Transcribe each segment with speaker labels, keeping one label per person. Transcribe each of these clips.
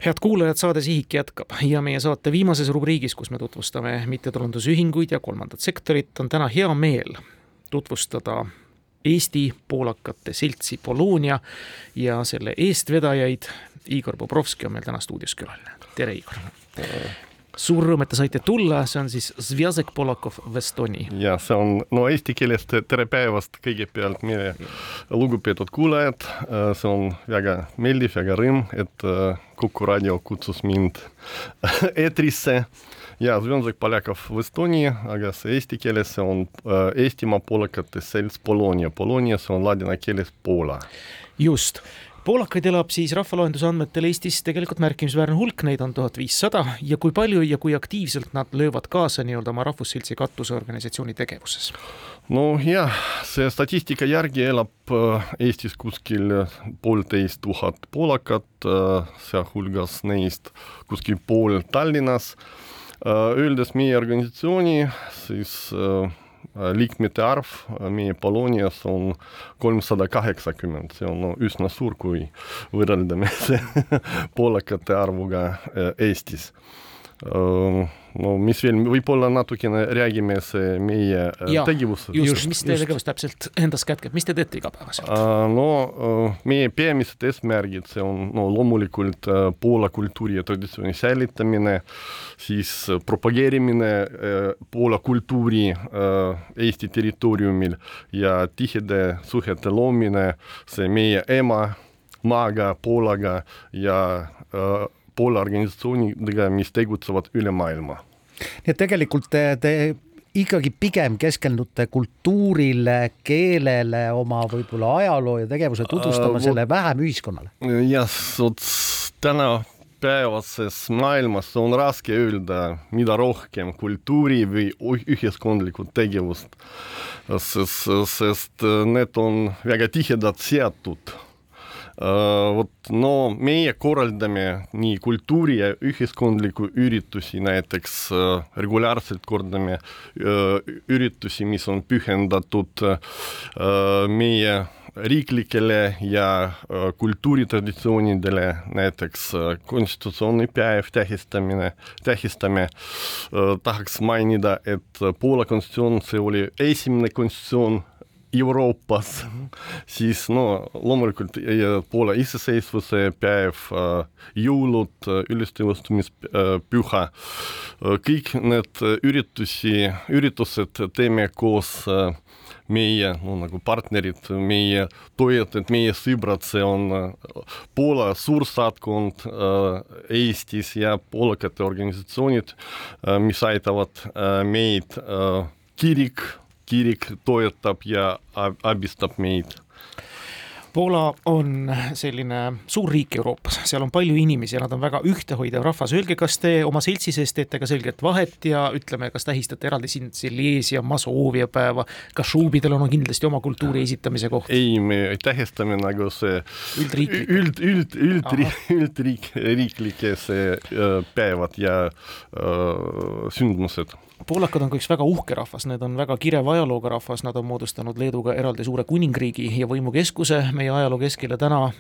Speaker 1: Head kuulajad, saade Sihik jätkab ja meie saate viimases rubriigis, kus me tutvustame mittetulundusühinguid ja kolmandat sektorit, on täna hea meel tutvustada Eesti poolakate seltsi Polonia ja selle eestvedajaid. Igor Bobrovski on meil täna stuudios külaline. Tere, Igor! Suur rõõm, et te saite tulla, see on siis Związek Polakov w Estonii.
Speaker 2: Ja see on eesti keelest tere päevast kõigepealt meie lugupeetud kuulajad. See on väga meeldiv, väga rõõm, et Kuku Radio kutsus mind eetrisse. Ja Związek Polakov w Estonii, aga see eesti keeles see on Eestimaa poolakate selts Polonia. Polonia see on ladina keeles Poola.
Speaker 1: Just. Poolakaid elab siis rahvaloenduse andmetel Eestis tegelikult märkimisväärne hulk, neid on 1500 ja kui palju ja kui aktiivselt nad löövad kaasa nii-öelda oma rahvusseltsi katusorganisatsiooni tegevuses?
Speaker 2: No jah, see statistika järgi elab Eestis kuskil 1500 poolakat, sealhulgas neist kuskil pool Tallinnas. Öeldes meie organisatsiooni, siis liikmete arv meie Polonias on 380. See on üsna suur, kui võrreldame poolakate arvuga Eestis. No mis veel, võib-olla natukene räägime see meie tegevused.
Speaker 1: Just, mis te tegevus täpselt endas kätkeb, mis te teete igapäevaselt?
Speaker 2: No meie peamised eesmärgid, see on loomulikult Poola kultuuri ja traditsiooni säilitamine, siis propageerimine Poola kultuuri Eesti territooriumil ja tihede suhete loomine, see meie ema maaga, Poolaga ja Poola organisatsioonidega, mis tegutsevad üle maailma.
Speaker 3: Nii et tegelikult te ikkagi pigem keskendute kultuurile, keelele, oma võib-olla ajaloo ja tegevuse tutvustamine vähem ühiskonnale.
Speaker 2: Ja täna päevases maailmas on raske öelda, mida rohkem kultuuri või ühiskondlikud tegevust, sest need on väga tihedalt seatud. Meie korraldame nii kultuuri ja ühiskondliku üritusi, näiteks regulaarselt kordame üritusi, mis on pühendatud meie riiklikele ja kultuuritraditsioonidele, näiteks konstitutsiooni päev tähistame. Tahaks mainida, et Poola konstitutsioon, see oli esimene konstitutsioon Euroopas, siis loomulikult Poola iseseisvuse päev, jõulud, ülestõustumispüha. Kõik need üritused teeme koos meie nagu partnerid, meie toetajad, meie sõbrad, see on Poola suursaatkond Eestis ja poolakate organisatsioonid, mis aitavad meid kirik toetab ja abistab meid.
Speaker 1: Poola on selline suur riik Euroopas, seal on palju inimesi ja nad on väga ühtehoidev rahvas. Öelge, kas te oma seltsi sees teete ka selget vahet ja ütleme, kas tähistate eraldi siin Silesia, Masoovia päeva, kas šuubidel on kindlasti oma kultuuri esitamise koht?
Speaker 2: Ei, me tähistame nagu see üldriiklike päevad ja sündmused.
Speaker 1: Poolakad on ka üks väga uhke rahvas, need on väga kireva ajalooga rahvas, nad on moodustanud Leeduga eraldi suure kuningriigi ja võimukeskuse meie ajaloo keskele täna,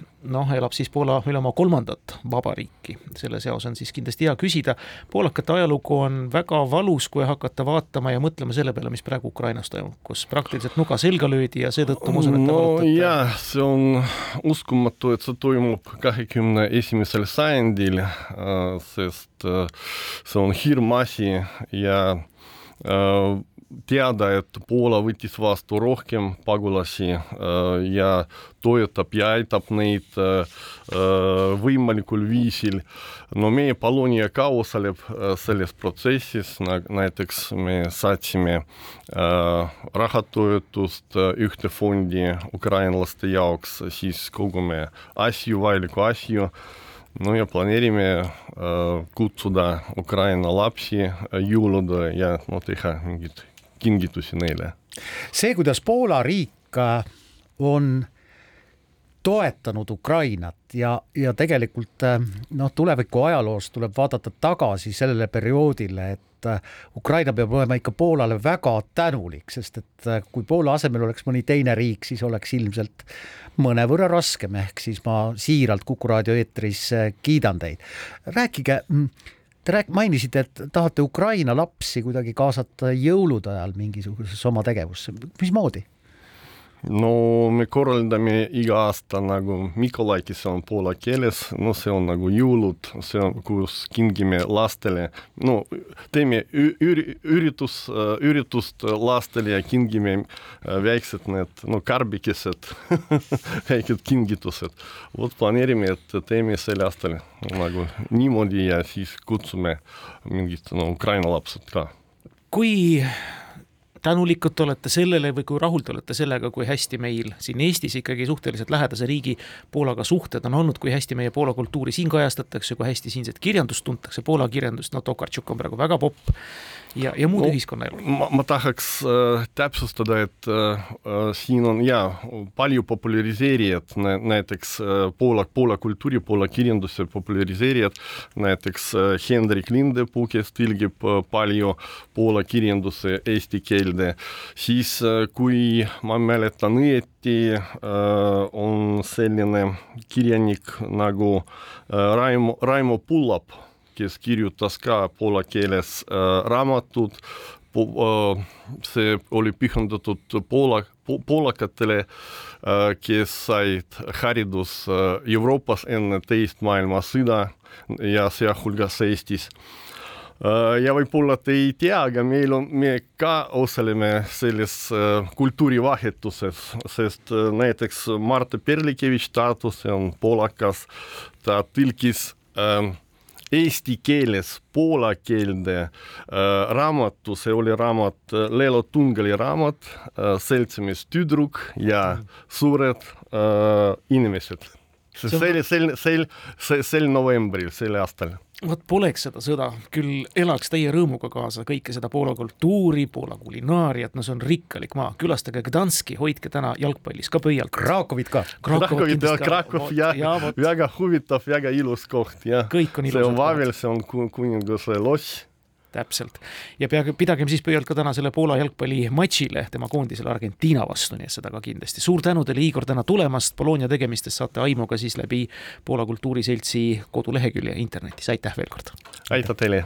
Speaker 1: elab siis Poola üle oma 3. vabariiki. Selle seos on siis kindlasti hea küsida. Poolakate ajalugu on väga valus, kui hakata vaatama ja mõtlema selle peale, mis praegu Ukrainas toimub, kus praktiliselt nuga selga löödi ja seetõttu musun, et te valutate.
Speaker 2: Jah, see on uskumatu, et see toimub 21. sajandil, sest see on hirmasi ja teada, et Poola võttis vastu rohkem pagulasi ja toetab ja aitab neid võimalikul viisil. Meie Polonia ka osaleb selles protsessis, näiteks me saatsime rahatoetust ühte fondi ukrainlaste jaoks, siis kogume vajaliku asju. Ja planeerime kutsuda Ukraina lapsi jõulude ja teha mingid kingitusi neile.
Speaker 3: See, kuidas Poola riik on toetanud Ukrainat ja tegelikult tuleviku ajaloos tuleb vaadata tagasi sellele perioodile, et Ukraina peab olema ikka Poolale väga tänulik, sest et kui Poola asemel oleks mõni teine riik, siis oleks ilmselt mõnevõrra raskem, ehk siis ma siiralt Kuku raadio eetris kiidan teid. Rääkige, te mainisite, et tahate Ukraina lapsi kuidagi kaasata jõulude ajal mingisugusesse oma tegevusse. Mismoodi?
Speaker 2: No me korraldame iga aasta nagu Mikolaiki, see on poola keeles, no see on nagu jõulud, see on, kus kingime lastele, no teeme üritust lastele ja kingime väiksed need, no karbikesed, väiked kingitused. Vot planeerime, et teeme selle aastal nagu niimoodi ja siis kutsume mingid Ukraina lapsed ka.
Speaker 1: Kui tänulikud olete sellele või kui rahul te olete sellega, kui hästi meil siin Eestis ikkagi suhteliselt lähedase riigi Poolaga suhted on olnud, kui hästi meie Poola kultuuri siin kajastatakse, kui hästi siinset kirjandust tuntakse, Poola kirjandust, Tokarczuk on praegu väga popp ja muud ühiskonnaelu.
Speaker 2: Ma tahaks täpsustada, et siin on palju populariseerijad, näiteks Poola kultuuri, Poola kirjanduse populariseerijad, näiteks Hendrik Lindepuu, kes tõlgib palju Poola kirjanduse eesti keelde, siis kui ma mäletan õieti, on selline kirjanik nagu Raimo Pullap, kes kirjutas ka poola keeles raamatud. See oli pühendatud poolakatele, kes said haridus Euroopas enne teist maailmasõda ja sealhulgas Eestis. Ja võib-olla te ei tea, aga me ka osaleme selles kultuurivahetuses, sest näiteks Marte Perlikevitš Tartus, see on poolakas, ta tõlkis eesti keeles poola keelde raamatu, see oli raamat, Leelo Tungali raamat, Seltsimees tüdruk ja suured inimesed. Sel novembril, selle aastal.
Speaker 1: Vot poleks seda sõda, küll elaks teie rõõmuga kaasa kõike seda Poola kultuuri, Poola kulinaariat, no see on rikkalik maa. Külastage Gdanski, hoidke täna jalgpallis ka pöialt.
Speaker 3: Krakovit ka.
Speaker 2: Krakov, väga huvitav, väga ilus koht.
Speaker 1: Kõik on ilus.
Speaker 2: See on Vavel, see on kuninguse loss.
Speaker 1: Täpselt. Ja pidagem siis pöialt ka täna selle Poola jalgpalli matšile, tema koondisele Argentiina vastu, nii et seda ka kindlasti. Suur tänu teile, Igor, täna tulemast. Bologna tegemistest saate aimu ka siis läbi Poola kultuuriseltsi kodulehekülje internetis. Aitäh veel kord.
Speaker 2: Aitäh teile.